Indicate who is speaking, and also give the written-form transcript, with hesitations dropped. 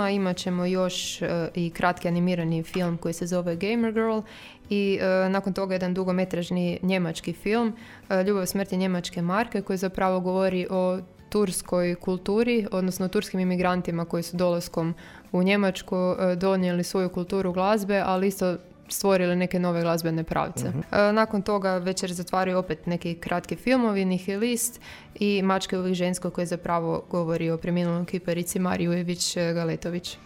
Speaker 1: Imat ćemo još i kratki animirani film koji se zove Gamer Girl i nakon toga jedan dugometražni njemački film Ljubav, smrt i njemačke marke koji zapravo govori o turskoj kulturi, odnosno turskim imigrantima koji su dolaskom u Njemačku donijeli svoju kulturu glazbe, ali isto stvorili neke nove glazbene pravce. Nakon toga večer zatvaraju opet neki kratki filmovi, Nihilist i Mačke uvijek žensko koji zapravo govori o preminulom kiparici Mariji Ujević Galetović.